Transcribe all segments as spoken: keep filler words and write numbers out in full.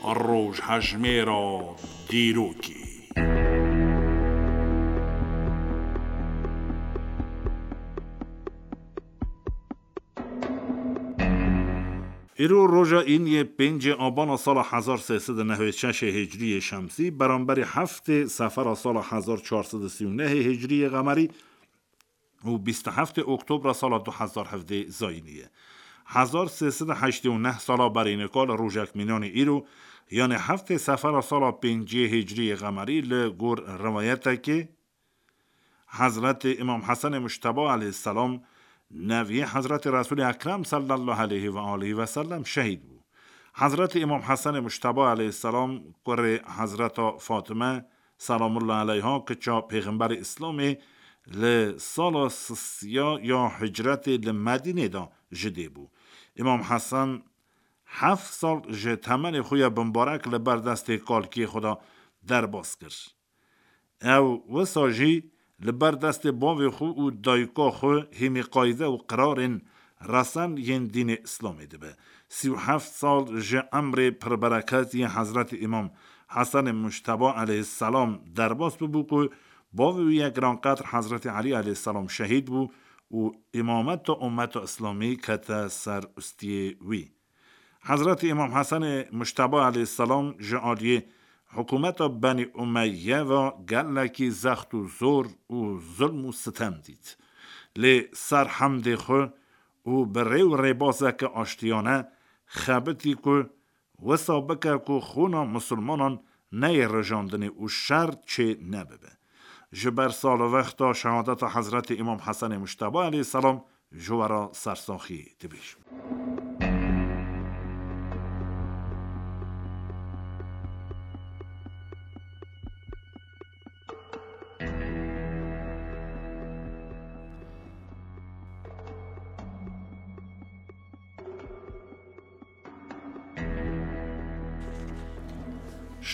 Rojhejmêra dîrokê. Îro roja îniyê pêncê abana sala hezar sê sed û nehwê şeş hicriyê şemsî, beramberî heftê sefera sala hezar çar sed û sî û nehê hicriyê qemerî û bîst û heftê oktobra sala du hezar hevdê zayînî ye. Hezar sê sed û heştê û neh sala berî nika li rojek mînanê îro, yanê heftê sefera sala pêncê hicriyê qemerî li gor riwayetekê, Hezretê Îmam Hesenê Mujteba aleyhisselam, neviyê Hezretê Resulê Ekrem sallallahu aleyhi ve aleyhi ve sellem şehîd bû. Hezretê Îmam Hesenê Mujteba aleyhisselam, kurê Hezreta Fatime selamullah aleyha, kiça Pêxemberê Îslamê, li sala sisiya ya hicretê li Medînê de ji dê bû. Îmam Hesen heft sal ji temenê xwe ya bimbarek li ber destê kalkiyê xwe de derbas kir. Ew wisa jî li ber destê bavê xwe û dayika xwe hîmîqayde û qirarên resen yên dînê Îslamê dibe. Sî û heft sal ji emrê pirbereket yê Hezretî Îmam Hesenê Mujteba aleyhisselam derbas bibû ku bavê wî yê giranqedr Hezretî Elî aleyhisselam şehîd bû û îmameta ummeta Îslamî kete ser ustiyê wî. Hezretî Îmam Hesenê Mujteba aleyhisselam ji aliyê hikûmeta Benî Umeyye ve gelekî zext û zor û zulm û sitem dît. Lê ser hemdê xwe û bi rê û rêbazeke aştiyane xebitî ku wisa bike ku xûna misilmanan neyê rijandinê û şer çê nebibe. Ji ber salvexta şehadeta Hezretî Îmam Hesenê Mujteba aleyhisselam ji we re sersaxî dibêjim.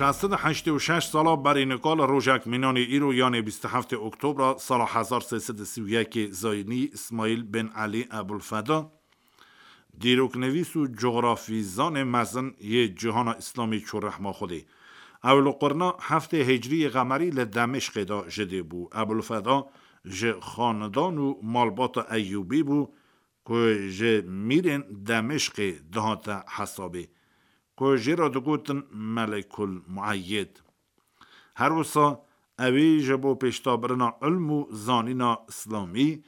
Şeş sed û heştê û şeş sala berî nika li rojek mînanê îro, yanê bîst û heftê oktobra sala hezar sê sed û sî û yekê zayînî, Îsmaîl bin Elî Ebulfeda, dîroknivîs û cografîzanê mezin yê cîhana Îslamî çû rehma Xwedê. Ew li qurna heftê hicriyê qemerî li Demişqê de ji dê bû. Ebulfeda ji xanedan û malbata Eyyûbî bû ku ji mîrên Demişqê dihate hesabê, ku jê re digotin Melekul Mueyyid. Her wisa ewî ji bo pêşdabirina ilm û zanîna Îslamî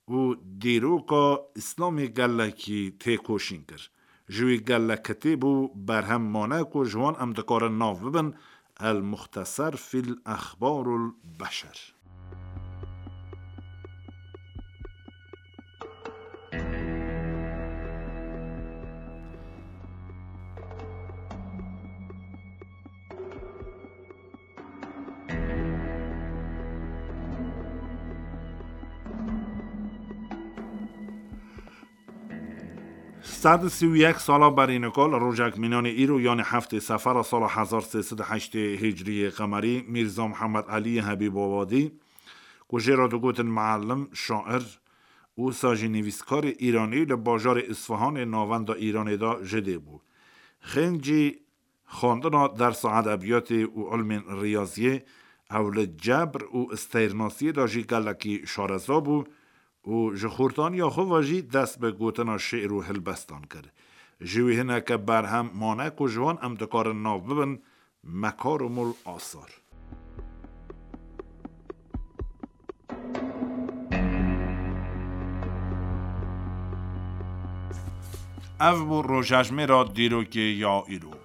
û dîroka Îslamî gelekî têkoşîn kir. Ji wî gelek kitêb û berhem mane ku ji wan em dikarin nav bibin El Muxteser fîl Exbarul Beşer. Sed û sî û yek sala berî nika li rojek mînanê îro, yanê heftê sefera sala hezar sê sed û heştê hicriyê qemerî, Mîrza Mihemed Elî Hebîbabadî, ku jê re digotin muallim, şair û wisa jî nivîskarê îranî, li bajarê Îsfihanê navenda Îranê de ji dê bû. Xêncî xwendina dersa edebiyatê û ilmên riyaziyê, ew li cebr û isteyrnasiyê de jî gelekî şareza bû û ji xortaniya xwe ve jî dest bi gotina şi'r û hilbestan kir. Ji wî hineke berhem mane ku ji wan em dikarin nav bibin Mekarimul Asar. Ev bû rojejmêra dîrokê ya îro.